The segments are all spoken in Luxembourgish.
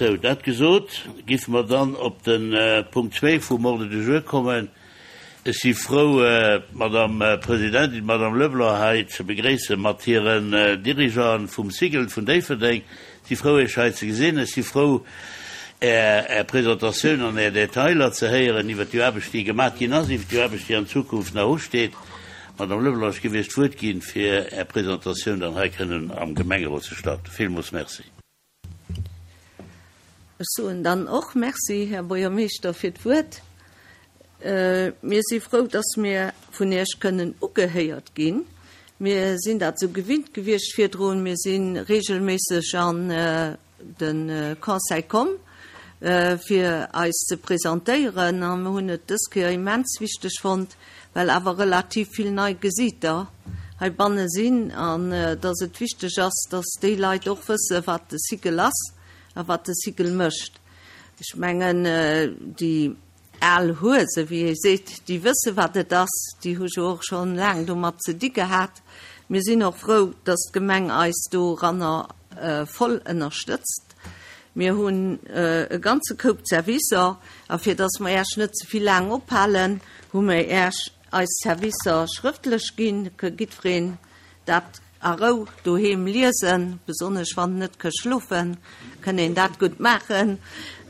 Sou, dat gesot, giffe mer dann op de Punkt zwee vum Ordre du jour kommen. Ech si frou, d'Madame Presidentin, d'Madame Leblanc, hei ze begréisse mat hiren Dirigeanten vum Cigl vun Déifferdeng. Ech si frou, Iech hei ze gesinn. Ech si frou, Är Presentatioun an Är Detailer ze héieren iwwert déi Aarbecht, déi gemat ginn ass, iwwert déi Aarbecht, déi an Zukunft nach usteet. Madame Leblanc, ech géif Iech d'Wuert ginn, fir Är Presentatioun dann hei kënnen am Gemengerot ze starten. Villmools Merci. Ech soen dann och Merci, Här Buergermeeschter, fir d'Wuert. Mir si frou, dass mir vun Iech kënnen ugehéiert ginn. Mir sinn dat esou gewinnt gewiescht virdrun. Mir si regelméisseg an de Conseil komm, fir eis ze presentéieren. A mir hunn et dës Kéier immens wichteg fonnt, well awer relativ vill nei Gesiiter heibanne sinn an dass et wichteg ass, dass déi Leit och wësse wat de Cycle ass a wat de Cycle mécht. Ech mengen, déi al Huese, wéi ee seet, déi wësse wat et ass, déi hu jo och scho laang domat ze di gehat. Mir sinn och frou, dass d'Gemeng eis doranner voll ënnerstëtzt. Mir hunn e ganze Koup Servicer, a fir dass mer Äech net ze vill laang ophalen, hu mir Äech eis Servicer schrëftlech ginn. Ka giddwereen dat a Rou doheem liesen, besonnesch wann en net ka schlofen, kënn een dat gutt maachen.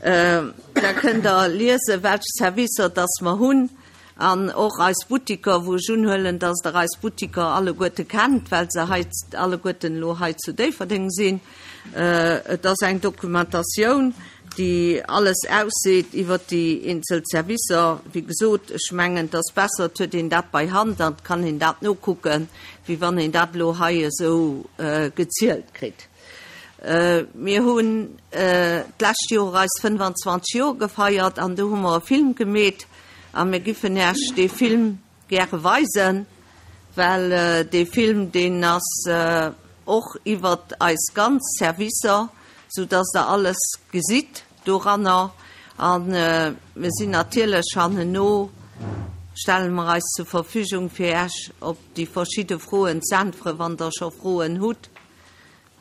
Da kënnt Der liesen, welch Servicer dass mer hunn. An och eis Buttiker, wou ech unhuelen, dass Der eis Buttiker alleguerte kennt, well se hei alleguerten elo hei zu Déifferdeng sinn. Et ass eng Dokumentatioun, déi alles ausseet iwwert déi eenzel Servicer. Wéi gesot, ech mengen, et ass besser, et huet een dat bei Hand an et kann een dat nokucken, wéi wann een dat elo hei esou gezielt kritt. Mir hunn d'lescht Joer eis 25 Joer gefeiert an do hu mer e Film gemeet a mir giffen Äech dee Film gäre weisen, well dee Film, deen ass och iwwert eis ganz Servicer, soudass Der alles gesitt doranner. A mir sinn natierlech hannenno, stelle mer eis zur Verfügung, fir Äech op déi verschidde Froen z'äntweren, wann Der scho Froen hutt.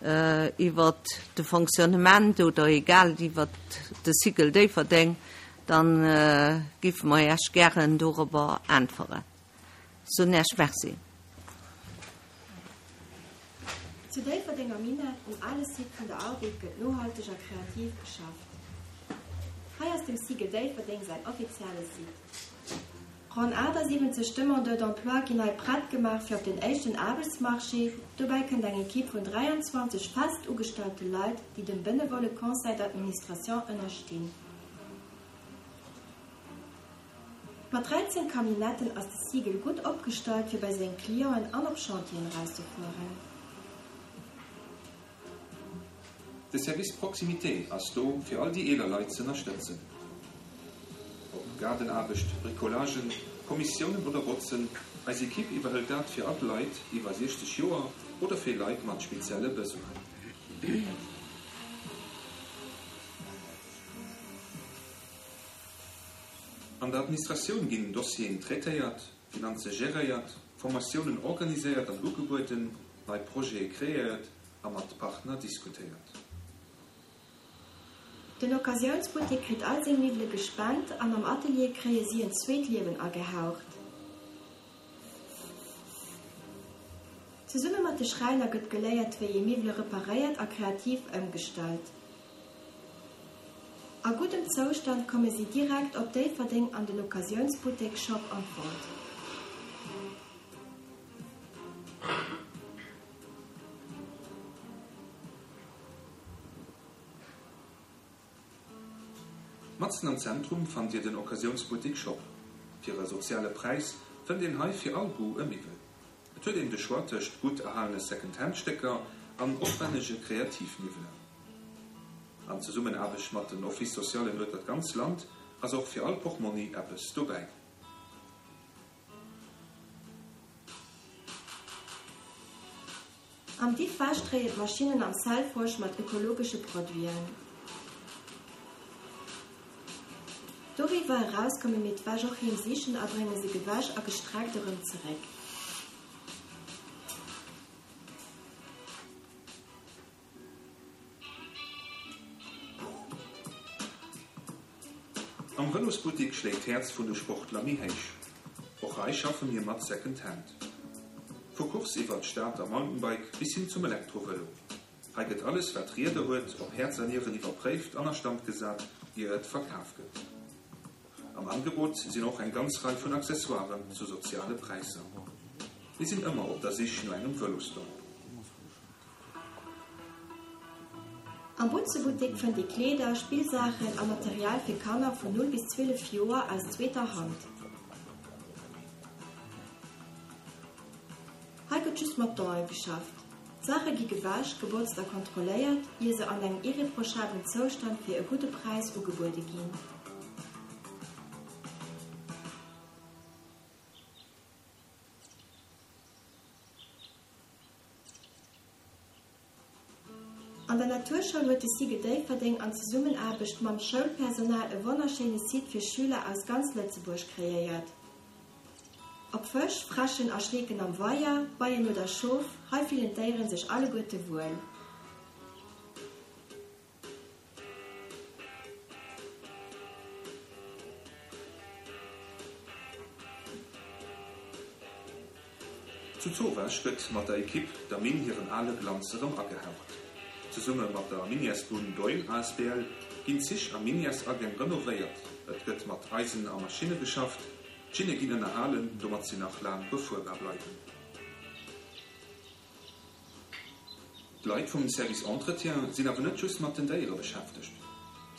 iwwert de Fonctionnement oder egal iwwert de Cycle Déifferdeng, da giffe mer Iech gären dorobber äntweren. Soen Iech Merci. Zu Déifferdeng am Minett, um ale Site vun der Arbed, gëtt nohalteg a kreativ geschafft. Hei ass dem Cycle Déifferdeng säin offizielle Site. Ronn 78 Demandeurs d'emploi ginn nei prett gemaach fir op den éischten Aarbechtsmarché. Dobäi kënnt eng Ekipp vun 23 fest ugestallte Leit, déi dem benevole Conseil d'administration ënnerstinn. Mat 13 Camionnetten ass de Siegel gutt opgestallt fir bei seng Clienten an op Chantieren erauszefueren. De Service Proximité ass do, fir all déi eeler Leit z'ënnerstëtzen. Ob Gaardenaarbecht, Bricolagen, Kommissiounen oder Botzen, eis Ekipp iwwerhëlt dat fir all d'Leit iwwer 60 Joer oder fir Leit mat spezielle Besoinen. An der Administratioun ginn Dossieren traitéiert, Finanze geréiert, Formatiounen organiséiert an ugebueden, nei Projete kreéiert a mat Partner diskutéiert. Den Occasiounsbuttek kritt all seng Miwwele gespent an am Atelier kréie si en zweet Liewen agehaucht. Zesumme mat de Schräiner gëtt geléiert, wéi ee Miwwele reparéiert a kreativ ëmgestallt. A guddem Zoustand komme si direkt op Déifferdeng an den Occasiounsbuttek Shop an Vault. Matzen am Zentrum fannt Dir den Occasiounsbuttik Shop. Fir e soziale Präis fënnt een hei fir all Goût e Miwwel. Et huet een de Choix tëscht gutt erhalene Second-Hand-Stécker an opwännege Kreativmiwwelen. An Zesummenaarbecht mat den Office Socialen ueter d'ganz Land ass och fir all Portmonni eppes dobäi. Am Diffwasch dréien d'Maschinnen am Selfwash mat ökologesche Produiten. Doriwwer eraus komme mir d'Wäsch och heem sichen a brénge se gewäsch a gestreckt erëm zeréck. Am Vëlosbuttik schléit d'Häerz vun de Sportler méi héich. Och hei schaffe mir mat Second Hand. Vu Course iwwert Stad a Mountainbike bis hin zum Elektrovëlo. Hei gëtt alles wat Rieder huet op Häerz a Nieren iwwerpréift an a Stand gesat ier et verkaf gëtt. Am Angebot sinn och eng ganz Rei vun Accessoiren zu soziale Präisser. Mir sinn ëmmer op der Sich no engem Vëlosdon. Am Butzebuttek fënnt ee Kleeder, Spillsaachen a Material fir Kanner vun 0 bis 12 Joer aus zweeter Hand. Hei gëtt just mat Donen geschafft. D'Saache gi gewäsch, gebotzt a kontrolléiert, ier se an engem irreprochablen Zoustand fir e gudde Präis ugebuede ginn. An der Naturschoul huet de SIGE Déifferdeng an Zesummenaarbecht mam Schoulpersonal e wonnerschéine Site fir Schüler aus ganz Lëtzebuerg kreéiert. Ob Fësch, Fräschen a Schleeken am Weier, Beien oder Schof, hei fillen d'Déieren sech alleguerte wuel. Zu Zowaasch gëtt mat der Ekipp der Minn hiren ale Glanz erëm agehaucht. Zesumme mat der Minièresbunn Doihl asbl ginn Zich a Minièresagäng renovéiert, et gëtt mat Eisen a Maschinne geschafft, d'Schinne ginn ënnerhalen, domat si nach laang befuerbar bleiwen. D'Leit vum Service Entretien sinn awer net just mat den Déiere beschäftegt.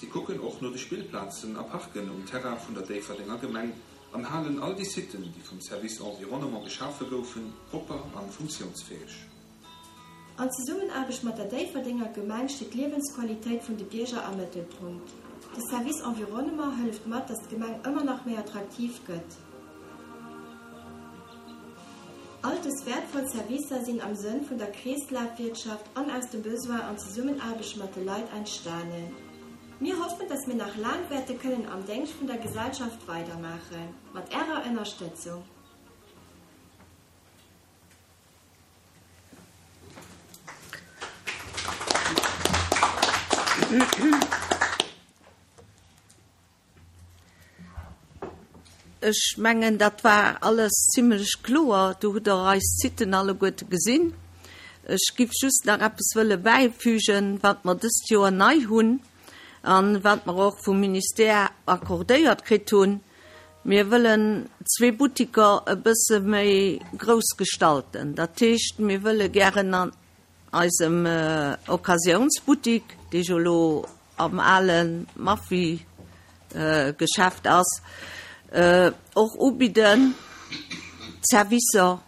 Si kucken och no de Spillplazen a Parken um Terrain vun der Déifferdenger Gemeng an halen all déi Siten, déi vum Service Environnement geschafe goufen, propper an funktiounsfäeg. An Zesummenaarbecht mat der Déifferdenger Gemeng steet d'Liewensqualitéit vun de Bierger am Mëttelpunkt. De Service Environnement hëlleft mat, dass d'Gemeng ëmmer nach méi attraktiv gëtt. All dës wäertvoll Servicer sinn am Sënn vun der Kreeslafwirtschaft an aus dem Besoin an Zesummenaarbecht mat de Leit entstanen. Mir hoffen, dass mir nach laang wäerte kënnen am Déngscht vun der Gesellschaft weidermaachen, mat Ärer Ënnerstëtzung. Ech mengen, dat war alles zimlech kloer. Do hutt Der eis Siten alleguerte gesinn. Ech giff just nach eppes wëlle bäifügen, wat mer dëst Joer nei hunn a wat mer och vum Ministère accordéiert kritt hunn. Mir wëllen zwee Buttiker e bësse méi grouss gestalten. Dat heescht, mir wëlle gären an eisem Occasiounsbuttik, dee jo elo am ale Maffy-Geschäft ass, och ubidden, Servicer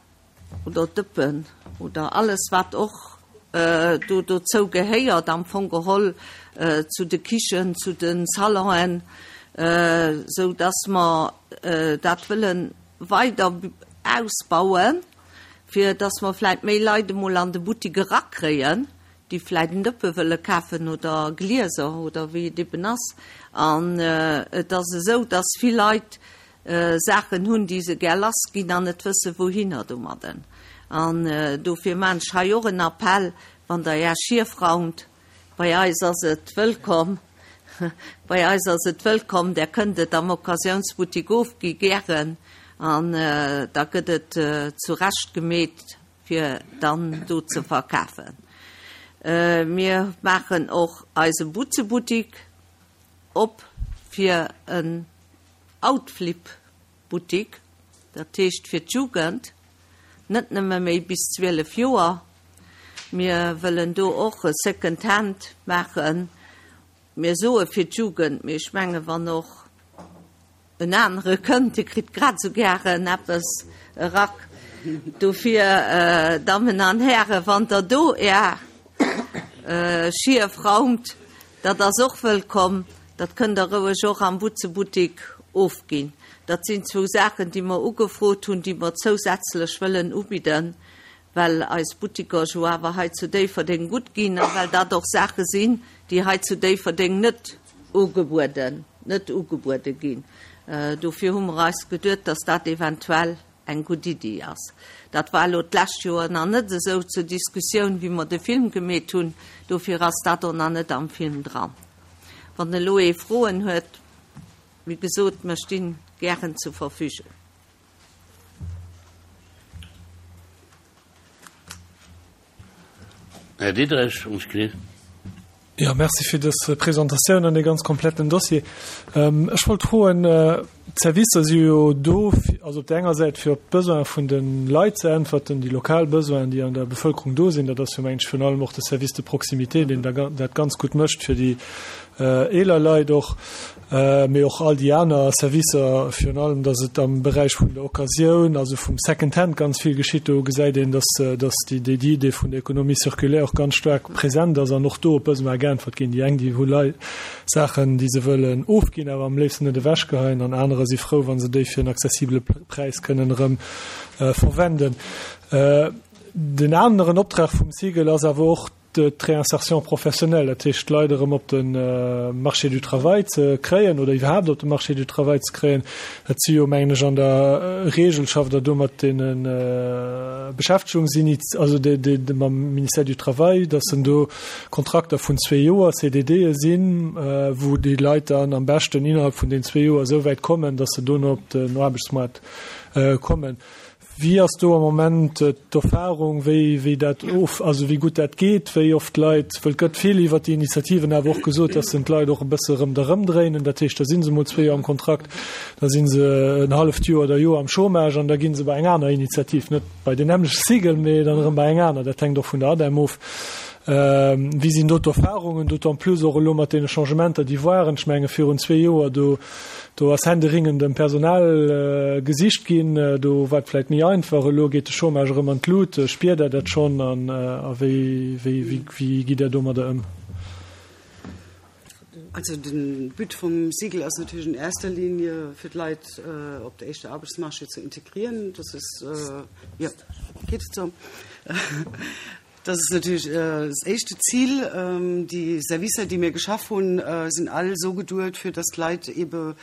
oder Dëppen oder alles, wat och do dozou gehéiert, am Fong geholl zu de Kichen, zu de Salonen, sou dass mer dat wëlle weider ausbauen, fir dass mer vläicht méi Leit emol an de Buttik erakréien, déi vläit en Dëppe wëlle kafen oder Glieser oder wéi et eben ass. An et ass esou, dass vill Leit Saachen hunn, déi se gär lassginn an net wësse wouhinner domadden. An dofir maan ech hei och en Appell, wann Der Är Schief raumt, bei eis ass et wëllkomm, bei eis ass et wëllkomm, Der kënnt et am Occasiounsbuttik ofgi gären an da gëtt et zurecht gemeet fir dann do ze verkafen. Mir maachen och eise Butzebuttik op fir en Outflip-Buttik, dat heescht fir d'Jugend, net nëmme méi bis 12 Joer. Mir wëllen do och e Second Hand maachen. Mir soe fir d'Jugend, mee ech menge wann och En anere kënnt, dee kritt grad esou gären eppes e Rack. Dofir, Dammen an Hären, wann Der do Är Schief raumt, dat ass och wëllkomm. Dat kënnt Der roueg och am Butzebuttik ofginn. Dat sinn zwou Saachen, déi mer ugefrot hunn, déi mer zousätzlech wëllen ubidden, well eis Buttiker jo awer hei zu Déifferdeng gutt ginn a well dat och Saache sinn, déi hei zu Déifferdeng net ugebueden net ugebuede ginn. Dofir hu mer eis geduet, dass dat eventuell eng gutt Iddi ass. Dat war elo d'lescht Joer nach net esou zur Diskussioun, wéi mer de Film gemeet hunn. Dofir ass dat och nach net am Film dran. Wann elo ee Froen huet. Wéi gesot, mer stinn gären zur Verfügung. Här Diderich, ons Kli. Jo, merci fir dës Presentatioun an dee ganz kompletten Dossier. Ech wollt froen, d'Servicer si jo do, also op där enger Säit fir op d'Besoine vun de Leit ze äntwerten, déi lokal Besoinen, déi an der Bevëlkerung do sinn. Dat ass jo, mengen ech, virun allem och de Service de proximité, deen dat ganz gutt mécht fir déi eeler Leit och, mee och all déi aner Servicer, virun allem, datt et am Beräich vun der Occasioun, also vum Second-Hand ganz vill geschitt. Do gesäit een, datt, datt déi, déi Idee vun der Économie circulaire och ganz staark present ass an och do op Besoin geäntwert ginn. Déi eng, déi hu Lei Saachen, déi se wëllen ofginn, awer am léifsten net ewechgeheien, an anerer si frou, wa se déi fir en accessibele Präis kënnen erëm verwenden. Den aneren Optrag vum SIGEL ass awer och, d'Réinsertion professionnelle, dat heescht d'Leit erëm op de Marché du travail ze kréien oder iwwerhaapt op de Marché du travail ze kréien. Dat si jo, mengen ech, an der Regel schafft Der do mat deene Beschäftegungsiniz-, also mam Ministère du Travail, dass en do Kontrakter vun zwee Joer, CDDe sinn, wou déi Leit dann am beschten innerhalb vun den zwee Joer esou wäit kommen, dass se dono op den Aarbechtsmoart kommen. Wéi ass do am Moment d'Erfahrung, wéi, wéi dat of, also wéi gutt dat geet, wéi oft d'Leit, wëll et gëtt vill iwwert déi Initiativen awer och gesot, dass en d'Leit och e bësse erëm da rëmdréinen, dat heescht, da si se mol zwee Joer am Kontrakt, da si se en halleft Joer oder Joer am Chômage an da gi se bei eng aner Initiativ, net bei deen nämmlechte Cycle, mee dann erëm bei eng aner. Dat hänkt och vun der ADEM of. Wéi sinn do d'Erfahrungen, d'autant plus och elo mat deene Changementer, déi waren, ech menge virun zwee Joer do, Do ass händeringend ëm Personal gesicht ginn. Do war et vläit méi einfach. Elo geet de Chômage erëm an d'Lut. Spiert Der dat schonn an a wéi wéi gitt Der domadder ëm? Also de But vum SIGEL ass natierlech in erster Linie fir d'Leit op de éischte Aarbechtsmarché ze integrieren. Das ist, jo, geet et sou? Dat ass natierlech das éischte Zil. Déi Servicer, déi mir geschaf hunn, sinn all esou geduet, fir dass d'Leit ebe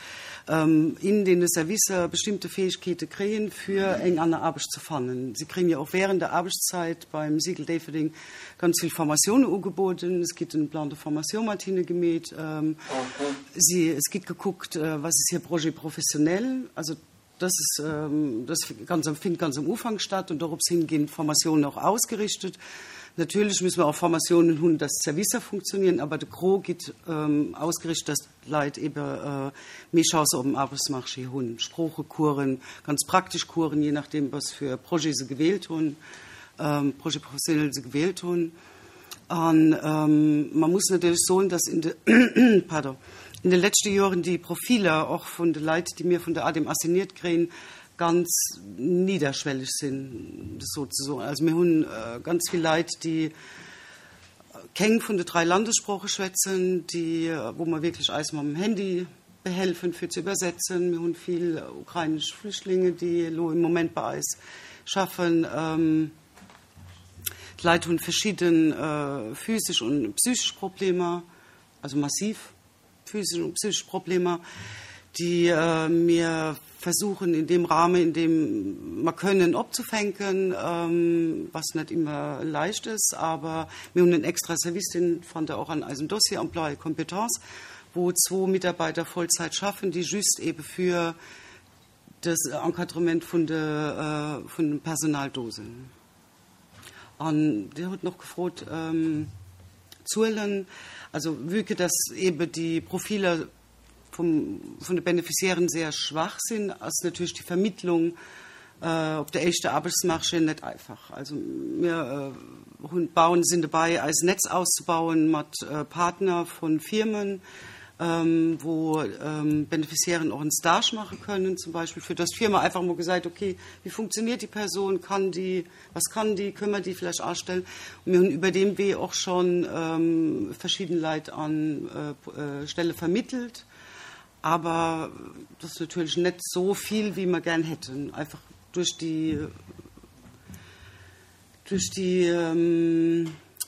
in deene Servicer bestimmte Fäegkeete kréien, fir eng aner Aarbecht ze fannen. Si kréien jo och während der Aarbechtszeit beim SIGEL Déifferdeng ganz vill Formatioune ugeboden. Es gitt en Plan de formation mat hinne gemeet. Si, es gitt gekuckt, was ist hir Projet professionnel. Also Das ist, das ganz am, findet ganz am Ufank statt und dorops hin ginn d'Formatiounen och ausgerichtet. Natierlech müssen mer och Formatiounen hunn, dass d'Servicer funktionieren, aber de Gros gitt ausgerichtet, dass d'Leit ebe méi Chance op dem Aarbechtsmarché hunn. Sproochecoursen, ganz praktesch Coursen, je nachdeem was fir Projet se gewielt hunn, Projet professionnel se gewielt hunn. An man muss natierlech soen, dass in de, pardon, in de leschte Joren déi Profiler och vun de Leit, déi mir vun der ADEM assigniert kréien, ganz niederschwellig sinn, sozesoen. Also mir hunn ganz vill Leit, déi keng vun de drai Landessprooche schwätzen, déi, wou mer wierklech eis mam Handy behelfen, fir ze übersetzen. Mir hunn vill ukrainesch Flüchtlinge, déi elo im Moment bei eis schaffen. D'Leit hunn verschidde physesch und psychesch Problemer, also massiv physesch und psychesch Problemer, déi mir versuchen in dem Rahmen, in dem mer können, opzufänken, was net immer leicht ist. Aber mir hunn en extra Service, deen fannt Der och an eisem Dossier, Emploi et compétences, wou zwou Mitarbeiter Vollzeit schaffen, déi just ebe für Das Encadrement vun de vun dem Personal do sinn. An Dir hutt nach gefrot, Zuelen, also vue que dass eebe déi Profiler vum vun de Beneficiairen sehr schwach sinn, ass natierlech déi Vermittlung op de éischte Aarbechtsmarché net einfach. Also mir hunn bauen sinn dobäi eis Netz auszebauen mat Partner vu Firmen, wou Beneficiairen och en Stage maache kënnen zum Beispill, fir dass d'Firma einfach emol gesäit, okay, wéi funktioniert déi Persoun, kann déi, was kann déi, kënnen mer déi vläicht astellen. Und mir hunn iwwer deem Wee och scho verschidden Leit an Stelle vermittelt, awer dat ass natierlech net esou vill, wéi mer gär hätten, einfach duerch déi, Duerch déi,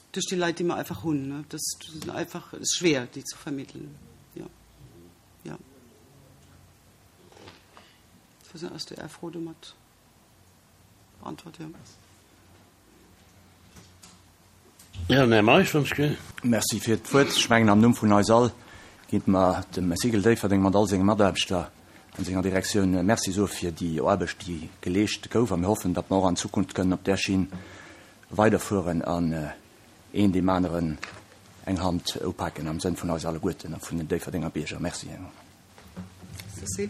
duerch déi Leit, déi mer einfach hunn. Ne? Das sind einfach, ist schwer, déi zu vermitteln. Ja. Ja. Ich weiß nicht, ass déi Fro domat beantwort? Ja. Ja, den Här Meisch, wann ech ginn. Merci fir d'Wuert. Ech mengen, am Numm vun eis all. Géint mer dem Cigl Déifferdeng mat all senge Mataarbechter an senger Direktioun Merci soe fir déi Aarbecht, déi geleescht gouf. A mir hoffen, datt mer och an Zukunft kënnen op där Schinn weiderfueren an een deem aneren eng Hand upaken am Sënn vun eis alleguerten a vun den Déifferdenger Bierger. Merci. Merci.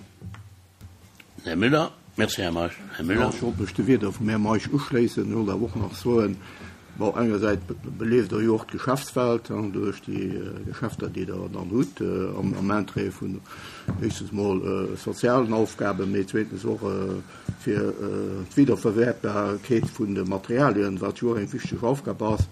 Här Müller. Merci, Här Meisch. Här Müller. Ech wollt mech de Wieder vum Här Meisch uschléissen. Ech wollt awer och nach soen, bon, engersäits belieft Der jo och d'Geschäftswelt duerch déi Geschäfter, déi Der dann hutt, am Interêt vun éischstens mol sozialen Aufgaben, mee zweetens och fir d'Wiederverwäertbarkeet vun de Materialien, wat jo och eng wichteg Aufgab ass.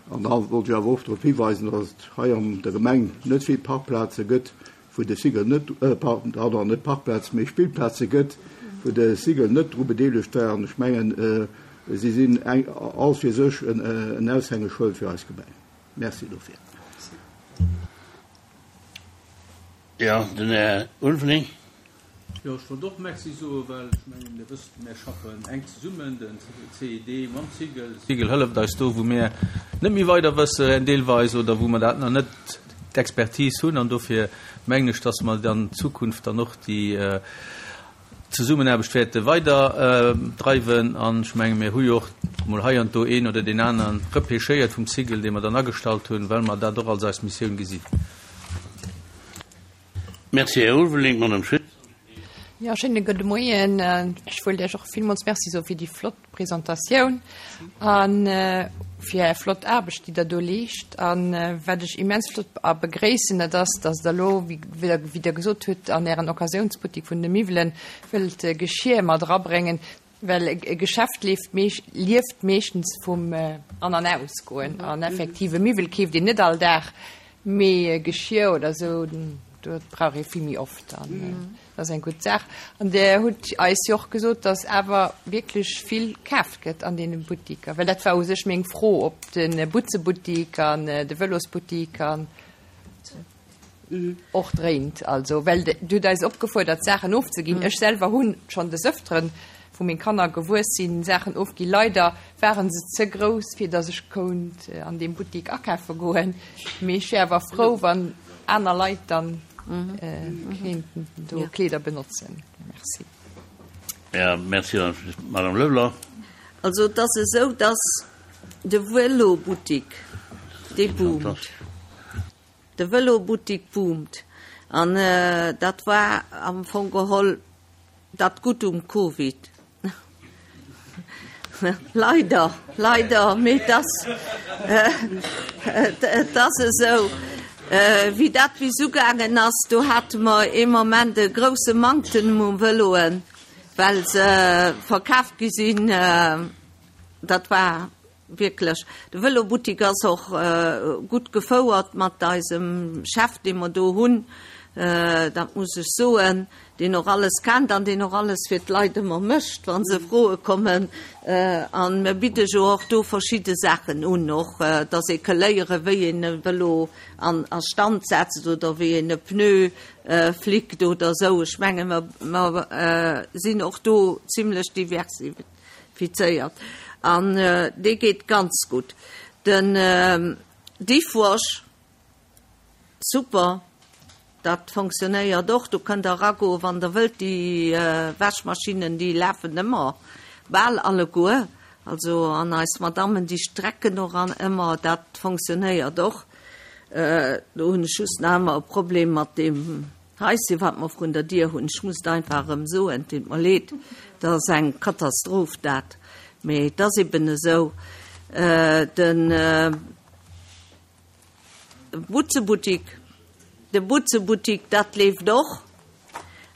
An da wollt ech awer och drop hiweisen, dass et hei an der Gemeng net vill Parkplaze gëtt, wou de Sigel net, pardon, net Parkplaze, mee Spillplaze gëtt, wou de Sigel net dru bedeelegt war. An ech mengen, si sinn all fir sech en Aushängeschëld fir eis Gemeng. Merci dofir. Jo, den Här Ulveling. Jo, ech wollt och Merci soen, well ech mengen, Dir wësst, mär schaffen enk zesummen, den CID mam Cigl. De Cigl hëlleft eis do, wou mär net méi weider wëssen deelweis oder wou mer dat nach net d'Expertise hunn. An dofir mengen ech, dass mer an Zukunft dann och déi Zesummenaarbecht wäerte weider dreiwen. An ech menge mir hu jo och mol hei an do een oder deen aneren repêchéiert vum Cigl, dee mer dann agestallt hunn, well mer dat och als eis Missioun gesinn. Merci, Här Ulveling. D'Madame Schütz. Jo, schéine gudde Moien. Ech wëllt Iech och villmools Merci soe fir déi flott Presentatioun a fir Är flott Aarbecht, déi Der do leescht. A wat ech immens flott a begréissen, dat ass, dass Der elo, wéi Der gesot hutt, an Ären Occasiounsbuttik vun de Miwwelen wëllt Geschir mat erabréngen, well e Geschäft leeft lieft meeschtens vum An an Ausgoen. An effektiv, e Miwwel keeft een net all Dag, Mee Geschir oder esou, dat brauch ee vill méi oft an dat ass eng gutt Saach. An Der hutt eis jo och gesot, datt awer wierklech vill kaaft gëtt an deene Buttiker, well dat war u sech meng Fro, ob de Butzebuttik an de Vëlosbuttik an och dréint. Also, well Dir hutt eis opgefuerdert, Saachen ofzeginn. Ech selwer hu schonn des Ëfteren, wou meng Kanner gewuess sinn, Saachen ofginn. Leider waren se ze grouss, fir dass ech kount an deem Buttik akafe goen. Mee ech wär awer frou, wann aner Leit dann kéinten do Kleeder benotzen. Merci. Ja, merci, Madame Leblanc. Also et ass esou, dass de Vëlo-Buttik, dee boomt. De Vëlo-Buttik boomt. An dat war am Fong geholl dat Gutt um Covid. Leider, leider, mee et ass, et ass esou. Wéi dat bis ugaangen ass, do hate mer ee Moment e grousse Manktem u Vëloen, well se verkaaft gi sinn. Dat war Wierklech, de Vëlobuttik ass och gutt gefouert mat eisem Chef, dee mer do hunn, dat muss ech soen, deen och alles kennt an deen och alles fir d'Leit ëmmer mécht, wa se froe kommen. A mir bidde jo och do verschidde Saachen un, och datt ee ka léieren, wéi een e Vëlo an a Stand setzt oder wéi een e Pneu flickt oder esou. Ech menge mer sinn och do zimlech diversifiziert. Fizéiert an dee geet ganz gutt. Den Diffwash, super, dat fonctionnéiert och. Do kënnt der eragoen, wann der wëllt. Déi Wäschmaschinnen, déi lafen ëmmer, bal alleguer. Also an eis Madammen, déi strecken och an ëmmer. Dat fonctionnéiert och. Do hunn ech just nach ëmmer e Problem mat deem Heisschen, wat mer vrun der Dier hunn, ech muss et einfach erëm soen, et deet mer leed, dat ass eng Katastroph dat, mee et ass eben esou. De Butzebuttik, de Butzebuttik, dat leeft och,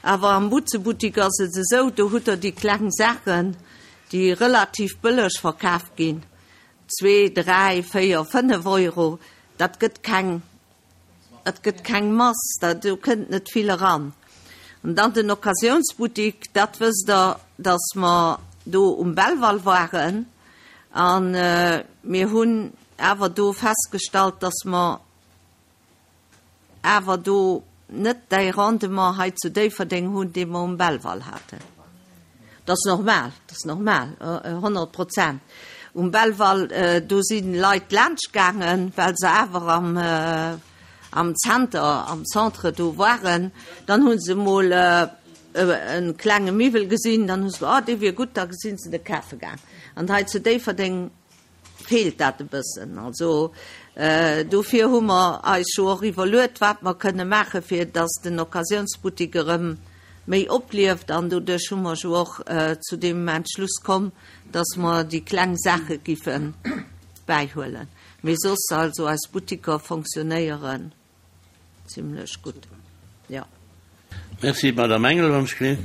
awer am Butzebuttik ass et esou, do hutt Der déi kleng Saachen, déi relativ bëlleg verkaf ginn, zwee, dräi, véier, fënnef Euro, dat gëtt keng Et gëtt keng Mass, do kënnt net vill eran. An dann den Occasiounsbuttik, dat wësst Der, datt mer do um Belval waren a mir hunn awer do festgestallt, datt mer awer do net däi Rendement hei zu Déifferdeng hunn, dee mer um Belval haten. Dat ass normal, dat ass normal, 100 Prozent. Um Belval, do si Leit laanscht gaangen, well se awer am, am Zenter, am Centre do waren, dann hu se emol e klenge Miwwel gesinn, dann hu se gesot, oh dee wier gutt, da sinn se de kafe gaang. An hei zu Déifferdeng feelt dat e bëssen. Also dofir hu mer eis jo och iwwerluet, wat mer kënne maachen, fir datt den Occasiounsbuttik erëm méi oplieft. An doduerch hu mer jo och zu deem Entschluss komm, datt mer déi kleng Saache giffe bäihuelen. Mee soss, also eis Buttiker fonctionnéieren zimlech gutt, jo. Merci, Madame Engel, wann ech gleef.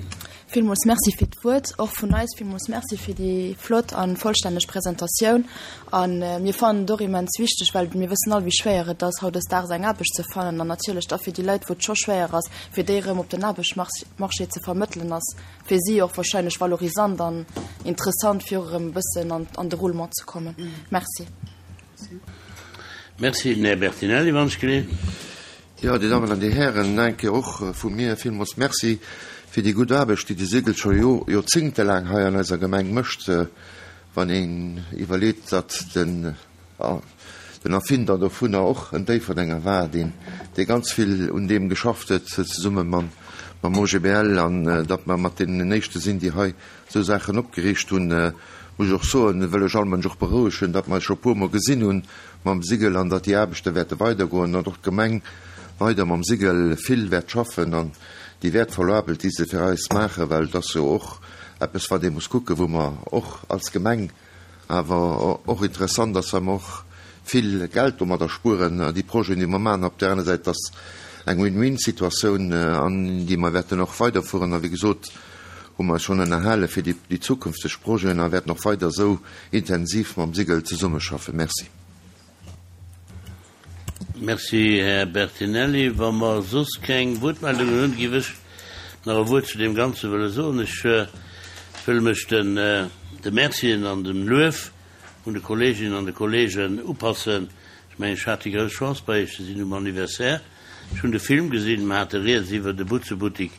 Villmools Merci fir d'Wuert. Och vun eis villmools Merci fir déi flott a vollstänneg Presentatioun. A mir fannen et och immens wichteg, well mir wëssen all, wéi schwéier et ass, hautdesdaags eng Aarbecht ze fannen. An natierlech da fir déi Leit, wou et scho schwéier ass, fir déi erëm op den Aarbechtsmarché ze vermëttelen, ass fir si och wahrscheinlech valorisant an interessant, fir och erëm e bëssen an de Roulement ze kommen. Merci. Merci, den Här Bertinelli, wann ech gleef. Jo, Dir Dammen an Dir Hären, eng Kéier och vu mir villmools Merci fir déi gutt Aarbecht, déi de Sigel scho joerzéngtelaang hei an eiser Gemeng mécht. Wann een iwwerleet, datt den Erfinder dovunner och en Déifferdenger war, deen dee ganz vill un deem geschafft huet, zesumme mam OGBL, an datt mer mat deenen éischte sinn, déi hei esou Saachen opgeriicht hunn, muss ech och soen, wëll ech all Mënsch och berouegen, datt mer eis scho e puermol gesinn hunn mam Sigel an datt déi Aarbechte wäerte weidergoen an och d'Gemeng weider mam Sigel vill wäert schaffen an déi wäertvoll Aarbecht, déi se fir eis maachen, well et ass jo och eppes, wat ee muss kucken, wou mer och als Gemeng Awer och interessant ass, well mer och vill Geld domadder spueren, déi Projeten, déi mer maachen. Op där aner Säit ass eng Win-win-Situatioun, an déi mer wäerten och weiderfueren. A wéi gesot, hu mer eis schonn ënnerhale fir déi zukünfteg Projeten a wäerten och weider esou intensiv mam Sigel zesummeschaffen. Merci. Merci, Här Bertinelli. Wa mer soss keng Wuertmeldungen hunn, géif ech nach e Wuert zu deem Ganze wëlle soen. Ech wëll mech de Mercien an dem Luef vun de Kolleeginnen an de Kolleegen upassen. Ech mengen, ech hat déi grouss Chance, bei Iech ze sinn um Anniversaire. Ech hunn de Film gesinn, mer hate rieds iwwert e Butzebuttik,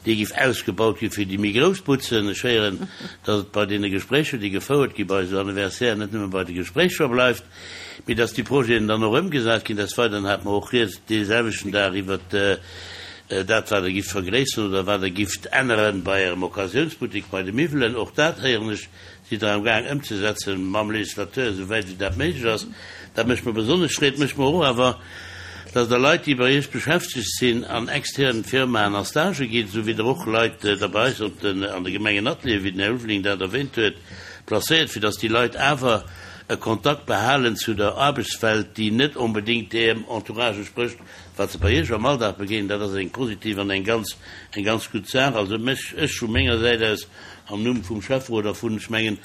dee giff ausgebaut gi fir déi méi grouss Butzen. Ech héieren, datt et bei deene Gespréicher, déi gefouert gi bei esou Anniversairen, net nëmme bei de Gespréicher bleift, mee datt déi Projeten dann och ëmgesat ginn. Desweideren hate mer och rieds dee selwechten Dag iwwert dat, wat Der gifft vergréisseren oder wat Der gifft änneren bei Ärem Occasiounsbuttik, bei de Miwwelen. Och dat héieren ech, sidd Der am gaang ëmzesetzen mam Législateur, esou wäit wéi dat méiglech ass. Dat mécht mer besonnesch Freed. Mécht mer och awer, dass Der Leit, déi bei Iech beschäftegt sinn, an externen Firmaen a Stagë gitt, esou wéi Der och Leit da bei eis op den, an de Gemengenatelieren, wéi den Här Ulveling dat erwähnt huet, placéiert, fir dass déi Leit awer e Kontakt behalen zu der Aarbechtswelt, déi net onbedéngt deem Entourage entsprécht, wat se bei Iech am Alldag begéinen. Dat ass eng positiv an eng ganz, eng ganz gutt Saach. Also mech, ech vu menger Säit aus, Am Numm vum Schäfferot a vun, ech mengen,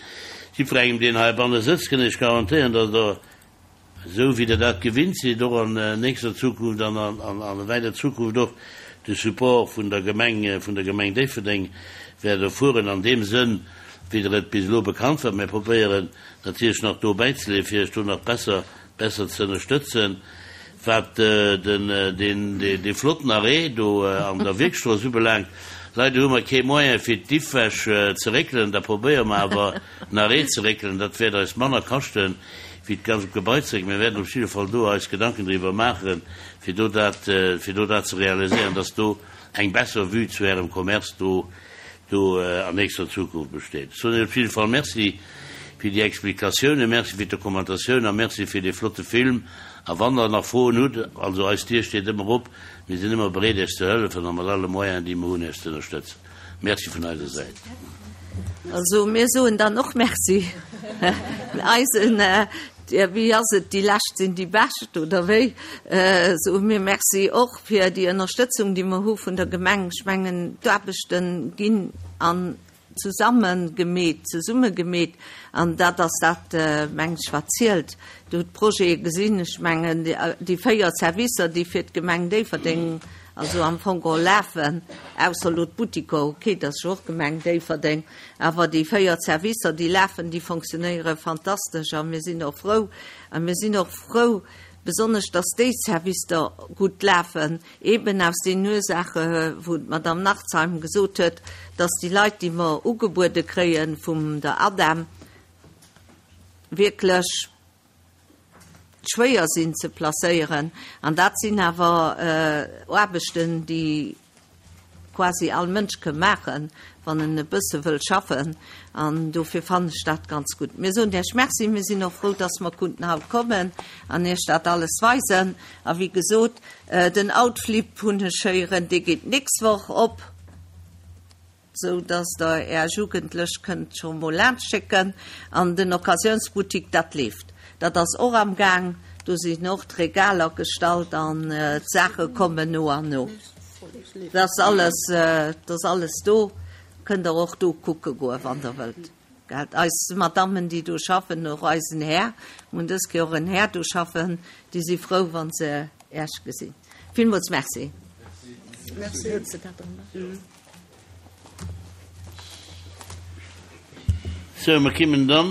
jiddwerengem, deen heibanne sëtzt, kënn ech garantéieren, datt Der, esou wéi Der dat gewinnt sidd, och an nächster Zukunft an an wäiter Zukunft och de Support vun der Gemeng, vun der Gemeng Déifferdeng wäert erfueren, an deem Sënn, wéi Der et bis elo bekannt waart. Mir probéieren natierlech nach do bäizeleeën, fir Iech do nach besser besser ze ënnerstëtzen. Wat den, deen, dee flotten Arrêt do an der Wierkstrooss ubelaangt, leider hu mer kee Moyen fir d'Iffwäsch ze réckelen, da probéiere mer awer den Arrêt ze réckelen. Dat wäert eis manner kaschten, wéi d'ganz Gebai ze réckelen. Mir wäerten op jidde Fall do eis Gedanken driwwer maachen, fir do dat, fir do dat ze realiséieren, dass do eng besser Vue zu Ärem Commerce do do an nächster Zukunft besteet. Ech soen Iech op jidde Fall Merci fir déi Explikatiounen, Merci fir d'Dokumentatioun a Merci fir dee flotte Film. A wann Der nach Froen hutt, also eis Dier steet ëmmer op, mir sinn ëmmer bereet Iech ze hëllefen a mat alle Moyenen, déi mer hunn, Iech ze ënnerstëtzen. Merci vun eiser Säit. Also mir soen dann och Merci. Eisen Wéi ass et, déi Lescht sinn déi Bescht, oder wéi? Soe mir Merci och fir déi Ënnerstëtzung, déi mer hu vun der Gemeng. Ech mengen, d'Aarbechte ginn an zesamme gemeet, zesumme gemeet, an dat ass dat, meng ech, wat zielt. Dir hutt d'Projete gesinn. Ech mengen, déi 4 Servicer, déi fir d'Gemeng Déifferdeng also am Fong geholl lafen, ausser elo d'Buttiker, okay, dat ass jo och Gemeng Déifferdeng, Awer déi 4 Servicer, déi lafen, déi fonctionnéiere fantastesch a mir sinn och frou. A mir sinn och frou, besonnesch, dass déi Servicer gutt lafen, eeben aus deenen Ursaache wou d'Madame Nachtsheim gesot huet, dass déi Leit, déi mer ugebuede kréie vum der ADEM, wierklech. schwéier sinn ze placéieren. An dat sinn awer Aarbechten, déi quasi all Mënsch ke maachen, wann en e bësse wëll schaffen. An dofir fannen ech dat ganz gutt. Mir soen Iech Merci. Mir sinn och frou, dass mer kunnten haut kommen an Iech dat alles weisen. A wéi gesot, den Outflip, hunn ech héieren, dee geet d'nächst Woch op. sou dass der är Jugendlech kënnt scho mol laanscht schécken an den Occasiounsboutique, dat leeft, dat ass och am Gaang, do sinn och d'Regaler gestallt an d'Saache kommen no an no, dat ass alles, dat ass alles do, kënnt der och do kucke goe wann der wëllt. Gelt, eis Madammen déi do schaffen, och eisen Här, mir hunn dës Kéier och en Här do schaffen, déi si frou wann se Äech gesinn. Villmools Merci. Merci. Sou, mer kimmen dann.